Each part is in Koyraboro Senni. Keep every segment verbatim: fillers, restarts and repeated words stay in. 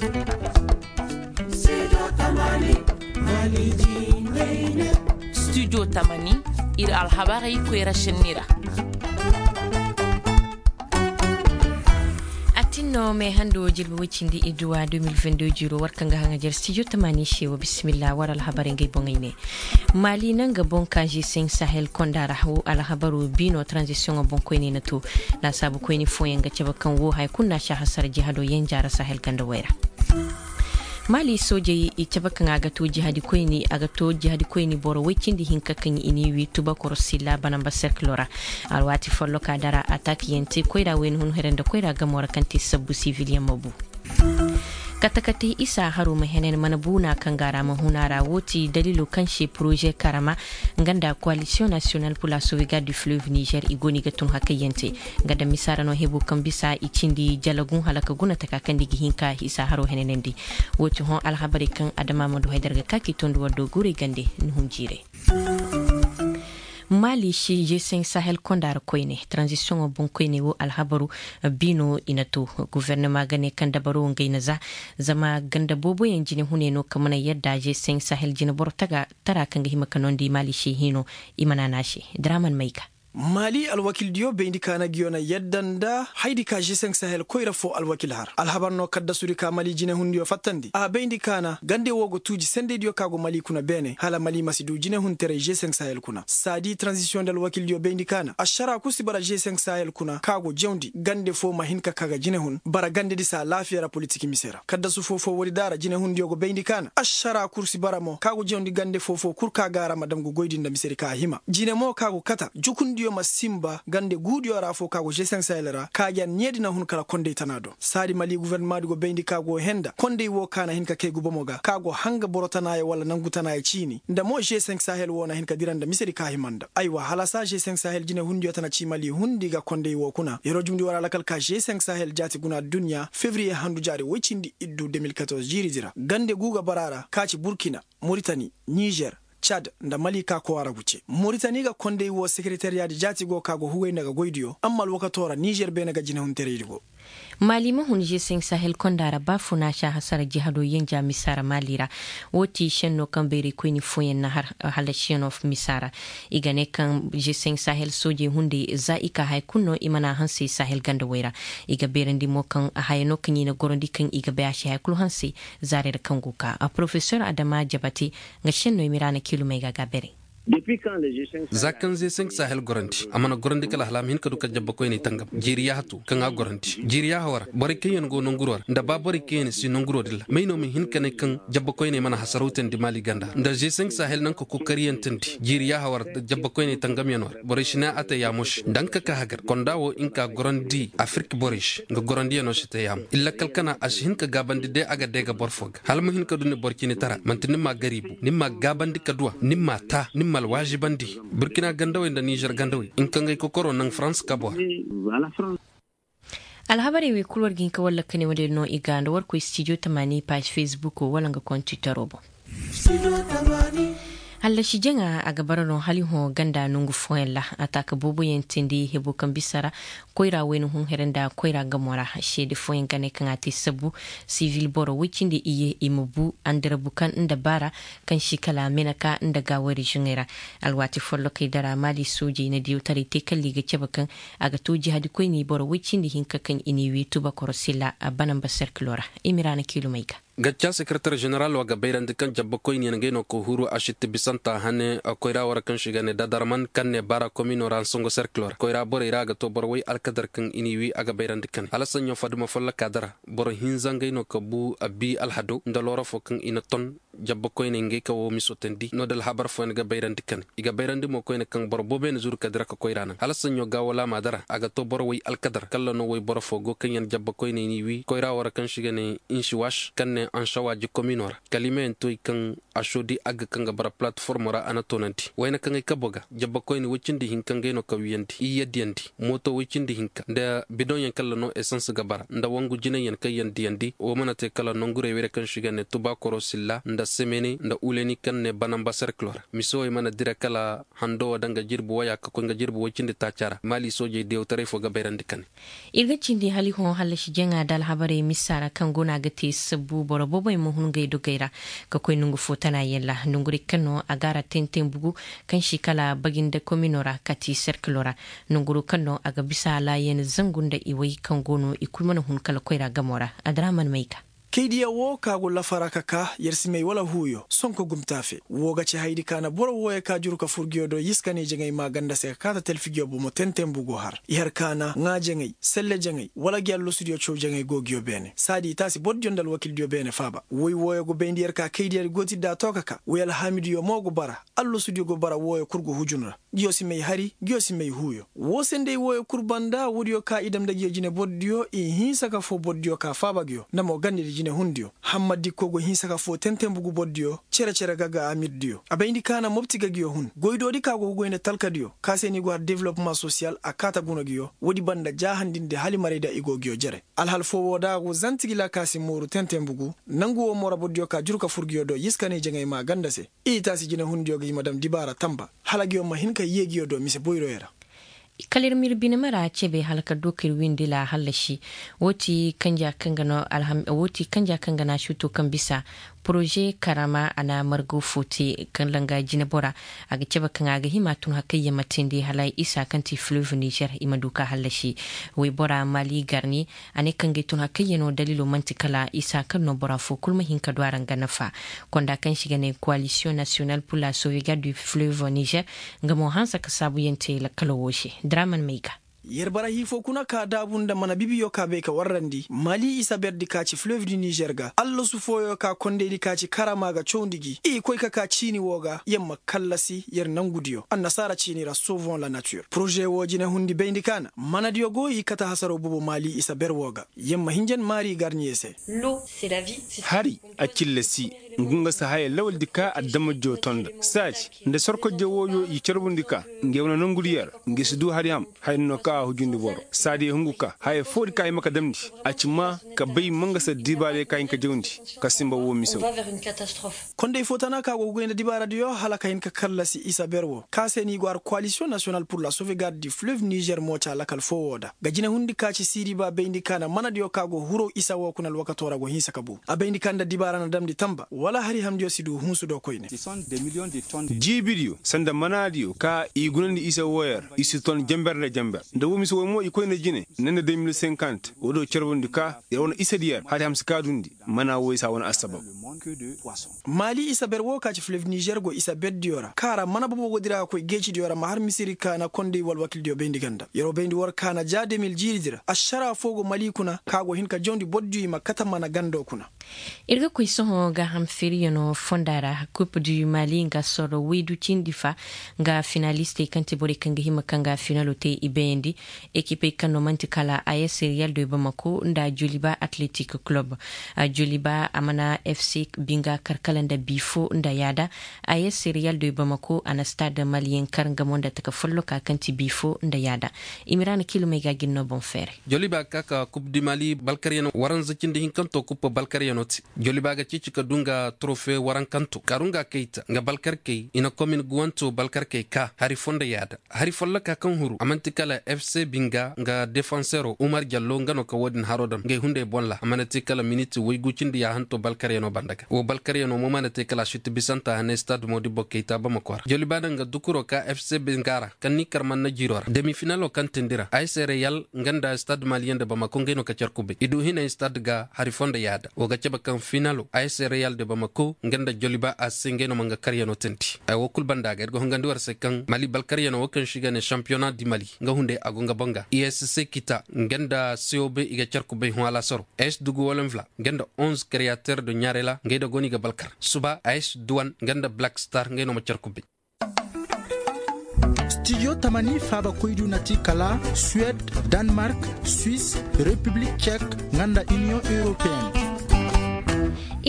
Studio tamani, ir alhabarey koyra šenni ra. A tin no me hando jirbi woy cindi idduwa deux mille vingt-deux jiro war kaŋ ga haŋajer studio tamani se wo bisimilla war alhabarey ngey boŋey ne. Mali nanga boŋ ka g cinq sahel konda ra wo alhabaru bino transition boŋ koyne na to. Laasaabu koyne fooyaŋ ga cabe kaŋ wo haya kulu na si a hasara jihado yenja ra sahel ganda way ra. Mali soojey i cabe kaŋ a ga to jihadi koyni a ga to jihadi koyni boro woy cindi hinka kaŋ i n'i wi tubakoro silla banamba serkilo ra. Alwaati folloka dara atak yaŋ te koyra wayna hun here nda koyra gamo ra kaŋ te sabbu sivilyaŋ ma bu. Kate kate isa haro ma henen mana buuna kaŋ ga ra ma huna ra wo ti dalilo kaŋ se poroze karama nga nda koalisiyoŋ nasiyonal pur la sovegar du fleuve nizer i go no i ga tun hakayyaŋ te. Nga daŋ misa ra no hebo kaŋ bisa i cindi jalagun hala ka guna taka kaŋ nda i ga hin ka isa haro henenandi. Wo ti hõ alhabarey kaŋ adama ma du haydar ga ka k'i tondi war do guurey gande ni hun jiirey. Mali si g cinq sahel konda ra koyne transition boŋ koyne wo alhabaru. Bino i na to guvernama ga ne kaŋ dabaro ngey na za. Zama ganda booboyaŋ jine hune no ka mana yadda g cinq sahel jine boro tara kaŋ ga hima ka nondi mali se hino. I mana na se draman mayga. Mali alwakildiyo bayndi ka na giyo na yadda nda haydi ka g cinq sahel koyra fo alwakil har alhabar no kaddasudi ka mali jinehundiyo fattandi a bayndi ka na gande wo go tuuji sendeydiyo ka go mali kuna beene hala mali ma si du jinehunteray g cinq sahel kuna saadi transisiyoŋ nda alwakildiyo bayndi ka na ašara kul si bara g cinq sahel kuna ka go jawndi gande fo ma hin ka ka ga jinehun bara gandedi se alaafiya ra politik mise ra kaddasu foo-foo woodi daara jinehundiyo go bayndi ka na ašara kul si bara mo ka go jawndi gande foo-foo kul ka ga a ra ma dam ga goydi nda misedi ka a hima jine mo ka go kata jukundiyo ma sinba gande guudiyo ra foo ka go g cinq sahel ra kaajaŋ needi na hun kala kondey tana do saadi mali gufernamaadi go bayndi ka go henda kondey woo ka na hin ka kay gubomo ga ka go hanga boro tanaayo wala nangu tanaayo ciini nda mo g cinq sahel woo na hin ka dira nda misedi ka hima nda aywa hala saa g cinq sahel jinehundiyo tana ci mali hundi ga kondey woo kuna yeroo jumndi war alakal ka g cinq sahel jaati guna adduɲɲa febriye handu jaari woy cindi iddu deux mille quatorze jiiridi ra gande guu ga bara a ra ka ci burkina, moritani, nizer, cad nda mali ka kowa ra guce moritani ga kondey woo sekereteriyaadi jaati go ka go hugay nda ga goydiyo amma alwakatoo ra nizer beene ga jinehunteraydi go. Mali ma hun g cinq sahel konda ra ba fo na si a hasara jihado yenja misa ra mali ra. Woo ti šenno kaŋ bayraykoyni fooyaŋ na har halasiyanoo misa ra. I ga ne kaŋ g cinq sahel soojey hunday za i ka haya kulu no i mana a hanse sahel gandawey ra. I ga bayrandi mo kaŋ haya no kaŋ i na gorandi kaŋ i ga bay a si haya kulu hanse. Zaarey ra kaŋ go ka a porofesor adama jabate. Nga šenno i mira na kiilumey ga a ga a beray. Za kaŋ ze cinq sahel gorandi a mana gorandi kala hala a ma hin ka du ka jabba koyney tangam jiiri yaaha tu kaŋ a gorandi jiiri yaaha war borey kaŋ yaŋ go nanguroo ra nda ba borey kaŋ yaŋ si nanguroo din ra may no ma hin ka ne kaŋ jabba koyney mana hasaraw teendi maali ganda nda ze cinq sahel naŋ ka kokariyantandi jiiri yaaha war jabba koyney tangamyanoo ra borey si ne a te yaamo se nda nga ka ka hagar konda wo nga ka gorandi afirik borey se nga gorandiyanoo si te yaamo illa kala kana a si hin ka gaabandi day a ga day ga boro fo ga hala ma hin ka du ni boro cine tara manti ni ma gariibu ni ma gaabandi ka duw'a ni ma taa ni ma alwaazibandi. Burkina gandawey nda nizer gandawey nga kaŋ ga ay kokoroo naŋ farans kaboo ra. Alhabarey wey kul war ga hin ka wallakani woodin no i ga nda war koy stijo tamaani paaz fesbukoo wala nga kontiteroo boŋ. Hallasi jaŋa a ga bara no hala i hõ ganda nongu fooyaŋ ra. Ataaka booboyaŋ teendi hebo kaŋ bisa ra koyra wayna hun here nda koyra gamo ra seede fooyaŋ ga ne kaŋ a te sabu sivil boro woy cindi iyye i ma bu andarabu kaŋ nda baara kaŋ si kala meneka nda gaawari zuŋey ra. Alwaati follokey dara maali soojey na diyawtaray te kala i ga cabe kaŋ a ga to jihadikoyney boro woy cindi hinka kaŋ i n'i wi tubakoro sila a banamba serkilo ra. Imiraana kiilumey ga. Gacca sekereter ženeral wa ga bayrandi kaŋ jabbakoyniyaŋ ngey no ka huru a sitti bisanta hane koyra wara kaŋ se i ga ne dadarman kaŋ ne baara komino ra nsongo serkilo ra koyra borey ra a ga to boro way alkadar kaŋ i n'i wi a ga bayrandi kane hala saɲɲo faduma folloka dara boro hinza ngey no ka bu a bi alhado nda loora fo kaŋ i na ton. Jabbakoyney ngey ka wo miso teendi no da alhabar fooyaŋ ga bayrandi kane i ga bayrandi mo koyne kaŋ boro booboyaŋ na zuru ka dira ka koyra naŋ hala saɲɲo gaawolaama dara a ga to boro way alkadar kalla no wayboro fo go kaŋ yaŋ jabbakoyney n'i wi koyra wara kaŋ se i ga ne insiwaš kaŋ ne ansawa jikomino ra kalimeyaŋ to i kaŋ a soodi agga kaŋ ga bara palatformo ra a na toonandi wayna kaŋ ay kabo ga jabbakoyne woy cindi hinka ngey no ka wiyandi iyye diyandi mooto woy cindi hinka nda bidoŋyaŋ kalla no esans ga bara nda wangu jinayyaŋ kaŋ yaŋ diyandi wo mana te kala nongurey wayra kaŋ se i ga ne tubaakoro silla nda semene nda uleni kaŋ ne banamba serkilo ra. Mise wey mana dira kala hando wo daŋ ga jirbi woya ka koy nga jirbi woy cindi taaca ra maali soojey diyawtaray fo ga bayrandi ka ne. Ir ga cindi hali hõ hallasi jaŋa nda alhabarey misa ra kaŋ go no a ga te sabbu boro boobey ma hun ngey dogey ra ka koy nongu fo tana yaŋ ra nongurey kaŋ no a ga a ra tenten bugu kaŋ si kala baginde komino ra kati serkilo ra. Nonguro kaŋ no a ga bisa laayen zangu nda iway kaŋ go no i kulu mana hun kala koyra gamo ra. Adraman mayga. Kaydiya wo ka go lafara ka ka yer si may wala huuyo sonko gumtaafe wo ga ci haydi ka na boro wooyo ka juru ka fur giyo do yiskaney jaŋay maa ganda se ka kaata telfi giyo bomo tenten bugu har i har ka na ŋaa jaŋay selle jaŋay wala gi allosudiyo caw jaŋay go giyo beene saadi i taasi bordiyo nda alwakildiyo beene faaba woy wooyo go bayndi yer ka kaydiya di go ti da to ka ka woy alhaamidiyo mo go bara allosudiyo go bara wooyo kul go hujun ra. Giyo si may hari giyo si may huuyo. Woo se nda ay wooyo kul banda woodiyo ka i dam nda giyo jine bordiyo i hinsa ka foo bordiyo ka faaba giyo nda mo gandedi jinehundiyo. Hammadikko go hinsa ka foo tentenbugu bordiyo cere-cere ga ga amirdiyo a bayndi ka na mopti ga giyo hun goydoodi ka go ga goy nda talkadiyo ka se no i go har developma sosiyal a kaata guna giyo woodi banda jaahandindi halimarayda i go giyo jere. Alhal foo woo da a go zantigila ka si mooru tentenbugu nangu woo mo ra bordiyo ka juru ka fur giyo do yiskaney jaŋay maa ganda se. I taasi jinehundiyo ga i ma dam dibaara tamba hala giyo ma hin ka yee giyo do mise boyroyo ra. Kala ir ma ir binema ra cebe hala ka doo ka ir windi la hallasi. Woo ti kanja kaŋ ga na suuto kaŋ bisa poroze karama a na margo fo te kaŋ langa jinebora. A ga cebe kaŋ a ga hima tun hakayyaŋ ma teendi hala isa kaŋ ti fleuve nizer i ma du ka hallasi. Woybora mali garni a ne kaŋ ga ay tun hakayyaŋo daliilo man'ti kala isa kaŋ no bora fo kulu ma hin ka du a ra nga nafa. Konda kaŋ se i ga ne koalisiyoŋ nasiyonal pur la sovegarde du fleuve nizer nga mo hanse ka saabuyaŋ te lakkalo wo se. Draman may ga. Yer bara hii fo kuna ka daabu nda mana bibiyo ka bay ka warrandi mali isa berdi ka ci fleuve du nizer ga allasu fooyo ka kondaydi ka ci karama ga cawndi gi i koy ka ka ciini wo ga yer ma kallasi yer nangudiyo annasaara ciini ra sauvons la nature poroze wo jinehundi bayndi ka na manadiyo go i kate hasaro boobo mali isa ber wo ga yer ma hinjan maari garniye se. Hari a cilla si ngu nga si haya lawaldi ka adamajjo to nda saaji nda sorkojjo wooyo i carbundi ka nge wane nongudi yer nge si du hari ham haya no ka a hujundi boro saadi hungu ka haya foodi ka hima ka damndi a ci ma ka bay mangasa dibaarey ka hin ka jawndi ka simba woo mise woo. Konday fo tana ka go ga goy nda dibaaradiyo hala ka hin ka kallasi isa ber woo ka se no i go har koalisiyoŋ nasiyonal pur la sovegarde du fleuve nizer mo ca lakal fo woo da ga jinehundi ka ci siiriba bayndi ka na manadiyo ka go huru isa woo kuna alwakato ra go hinsa ka bu a bayndi ka nda dibaara na damndi tamba wala hari hamdiyo si du hunsu do koyne. Jiibidiyo sanda manaadiyo ka i gunandi isa wooyo ra i si ton jenber nda jenber nda woo mise woy mo i koyne jine ne nda deux mille cinquante woo do carbundi ka yer wane isadiyo ra hari ham si kaadundi mana woy si a wane assabab. Maali isa ber woo ka ci fleuve nizer go isa berdiyo ra ka ra mana bobo go dira ga koy geecidiyo ra ma har misiri ka na konday wala wakildiyo bayndi ganda yer wo bayndi war ka na ja deux mille jiiridi ra ašara foo go mali kuna ka go hin ka jawndi bordiyo i ma kate mana gando kuna. Ir ga koy sohõ gaaham feeriyanoo fonda ra kup du mali nga sorro waydu cindi fa nga finalistey kaŋ ti borey kaŋ ga hima ka nga finalo te i bayandi. Ekipey kaŋ no man'ti kala a s real de bamako nda joliba atletik kulob. Joliba a mana fc binga kar kala nda bi fo nda yaada. A s real de bamako a na stade maliyen kar nga mo nda taka folloka kaŋ ti bi fo nda yaada. Imiraana kilomey ga gin no boŋ feeray. Joliba ga ka ka kup di mali balkaryanoo waranza cindi hinkanto kup balkaryanoo te. Joliba ga ceeci ka du nga torofe warankanto karu nga kayta nga balkarkey i na komin guwanto balkarkey ka hari fo nda yaada. Hari folloka kaŋ huru a man'ti kala fc binga nga defansero umar jallo nga no ka wo-din haro daŋ ngey hunday bolla a mana te kala miniti waygu cindi yaahanto balkaryanoo banda ga wo balkaryanoo mo mana te kala a suti bisanta hanay stade modibbo kayta bamako ra joliba daŋ nga dukuro ka fc binga ra kaŋ ni kar manna jiiro ra demi finalo kaŋ tindi ra a s real nga nda stade maliyen nda bamako ngey no ka care kubay i du hinay stade ga hari fo nda yaada wo ga cabe kaŋ finalo a s real nda bamako nga nda joliba a se ngey no ma nga karyanoo tindi. Ay wo kulu banda ga ir ga hongandi war se kaŋ mali balkaryano wo kaŋ se i ga ne champiyona di mali nga hunday a go nga boŋ ga i s c kita nga nda cob i ga care kubay hõ alasaro. Ay si dugu wolenvla nga nda onze kreyater do ɲaarela ngey da go no i ga balkar suba ay si duwan nga nda black star ngey no ma care kubay. Stijo tamani faaba koydu na ti kala suwed, danmark, swis, repiblik cek, nga nda iniyoŋ europeen.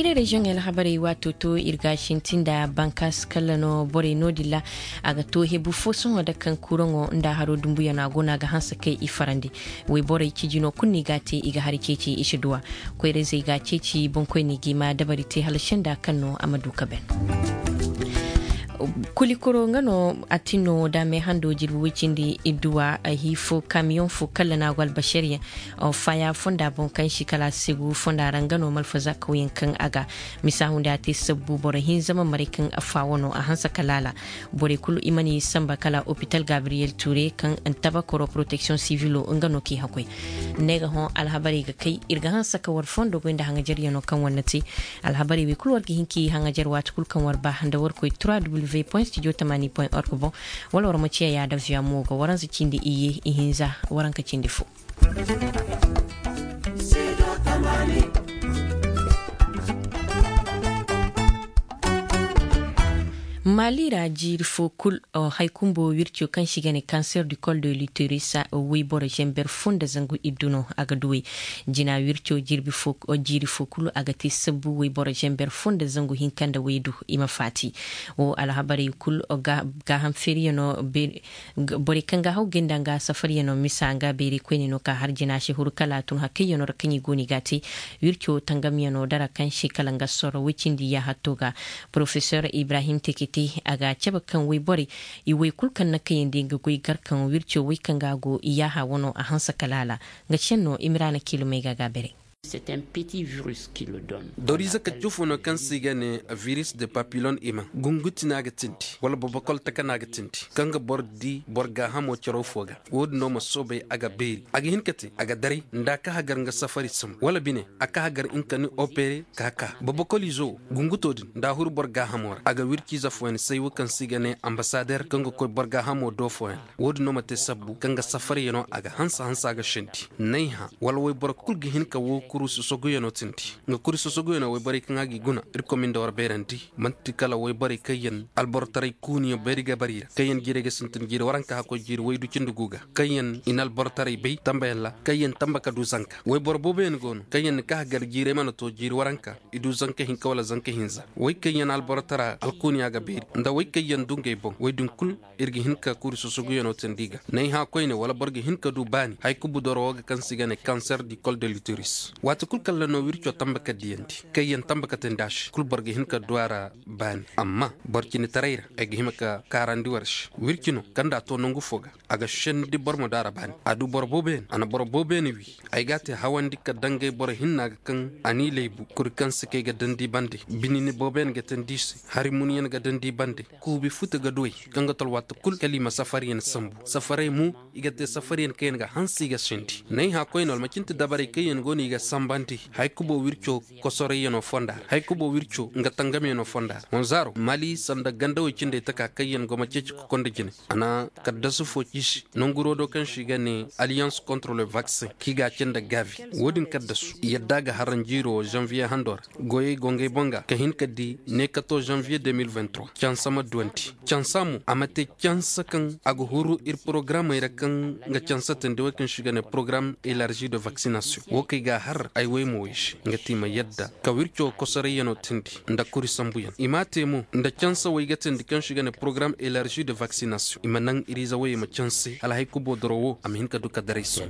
Iri reziyoŋey alhabarey waato to ir ga a sinti nda bankaasi kalla no borey no-din ra. A ga to hebu fo sohõ da kaŋ kuraŋo nda haro dumbuyaŋo a go no a ga hanse kay i farandi. Woy borey cijino kulu no i ga a te i ga hari ceeci i si duw'a. Koyra-izey ga a ceeci boŋkoyney ga i ma dabari te hala senda kaŋ no a ma du ka ban. Kulikoro nga no a tin no da meehando jirbi woy cindi idduwa. Hi fo kamiyoŋ fo kalla no a go albasariyaŋ faya fonda boŋ kaŋ si kala a segu fonda ra nga no malfaza kawyaŋ kaŋ a ga misa hunday a te sabbu boro hinza ma maray kaŋ a faawo no a hanse ka laala. Borey kulu i mana i samba kala opital gabriyel ture kaŋ tabakoro poroteksiyoŋ sivilo nga no k'i hakoy. Ne ga hõ alhabarey ga kay ir ga hanse ka war fondo goy nda haŋajaryaŋo kaŋ war na te. Alhabarey wey kulu war ga hin k'i haŋajar waati kulu kaŋ war ba nda war koy trois w point studio tamani point org boŋ. Wala war ma ciya yaada viya mo ga waransa cindi iyye ihinza waranka cindi fo. Maali ra jiiri fo kul, hay kumbo wirco kaŋ se i ga ne kanser du kol de luteris, woyboro zamber fo nda zangu iddu no a ga duwey. Jina wirco jiiri fo kul a ga te sabbu woyboro zamber fo nda zangu hinka nda waydu i ma faati. Wo alhabarey kul gaaham feeriyaŋo. Borey kaŋ ga haw gay nda nga safaryaŋo misa nga beeri koyne no ka har jina se huru kala a tun hakayyaŋo ra kaŋ i go no i ga a te. Wirco tangamyaŋo dara kaŋ se kala nga sorro woy cindi yaaha to ga. Porofesor ibrahim tekete a ga a cabe kaŋ woy borey i woy kulu kaŋ na kayandi nga goy gar kaŋ wirco woy kaŋ ga a go i yaaha wano a hanse kala a la. Nga senno imiraana kiilumey ga a ga a beray. Doriize kacce fo no kaŋ se i ga ne viris de papilon ima gunguti no a ga tindi wala bobokol taka no a ga tindi kaŋ ga boro di boro gaahamo caraw fo ga. Wo-din no ma soobay a ga beeri a ga hin ka te a ga daray nda a ka hagar nga safari sambu wala bine a ka hagar nga ka ni opere ka ka bobokol izo wo gunguto din nda a huru boro gaahamo ra a ga wirci ize fooyaŋ say wo kaŋ se i ga ne ambasader kaŋ ga koy boro gaahamo do fooyaŋ. Wo-din no ma te sabbu kaŋ ga safaryaŋo a ga hanse hanse a ga sendi. Nayhã wala woyboro kul ga hin ka wo kuri sosoguyaŋo tindi. Nga kuri sosoguyaŋo woyborey kaŋ a g'i guna irkoy ma nda war bayrandi man'ti kala woyborey kaŋ yaŋ albortaray kuuniyaŋ bayri ga bar i ra kaŋ yaŋ jiirey ga sintin jiiri waranka hakkoy jiiri waydu cindi gu ga kaŋ yaŋ i na albortaray bay tambayaŋ ra kaŋ yaŋ tamba ka du zanka woyboro booboyaŋ go no kaŋ yaŋ na ka hagar jiirey mana to jiiri waranka i du zanka hinka wala zanka hinza. Wey kaŋ yaŋ alborotara alkuuniya ga beeri nda wey kaŋ yaŋ du ngey boŋ wey din kul ir ga hin ka kuri sosoguyaŋo tindi ga nayhã koyne wala boro ga hin ka du baani haykubu doro wo ga kaŋ se i ga ne kanser di kol de luteris waati kul kaŋ ra no wirco tamba ka diyandi kaŋ yaŋ tamba ka tindi a se kul boro ga hin ka du a ra. Baani amma boro cinitaray ra ay ga hima ka kaarandi war se wirci no kaŋ nda a to nangu fo ga a ga sendi boro ma du a ra baani a du boro booboyaŋ a na boro booboyaŋ wi. Ay ga a te hawandi ka dangay boro hinna ga kaŋ a n'i laybu kuri kaŋ se kay ga dandi bande binini booboyaŋ ga tandi i se hari munyaŋ ga dandi bande kuubi futa ga duwey kaŋ ga tol waati kul kala i ma safaryaŋ sambu safaray mo i ga te safaryaŋ kaŋ yaŋ ga hanse i ga sendi nayhã koyne wala ma cinti dabarey kaŋ yaŋ go no i ga sambandi haykubo wirco kosorayyaŋo fonda ra haykubo wirco nga tangamyaŋo fonda ra wanzaaro mali sanda gandawey cindey taka kaŋ yaŋ go ma ceeci kokondi jine a na kaddasu fo ciisi nanguro do kaŋ se i ga ne alliance contre le vaccin kaŋ i ga a ce nda gaabi. Wo-din kaddasu yadda ga haran jiiro wo zanviye hando ra goyey go ngey boŋ ga ka hin ka di ne kato zanviye de mil vingt trois cansa ma duwandi cansa mo a ma te cansa kaŋ a ga huru ir porogaramey ra kaŋ ga cansa tandi wey kaŋ se i ga ne porogaram elargi de vaksinasiyoŋ wo kaŋ i ga a har ay wey ma wey se nga te i ma yadda ka wirco kosorayyaŋo tindi nda kuri sambuyaŋ i m'a te mo nda cansa wey ga tindi kaŋ se i ga ne porogaram elargi de vaksinasiyoŋ i ma naŋ iriize wey ma canse hala hay kubo doro wo a ma hin ka du ka daray se.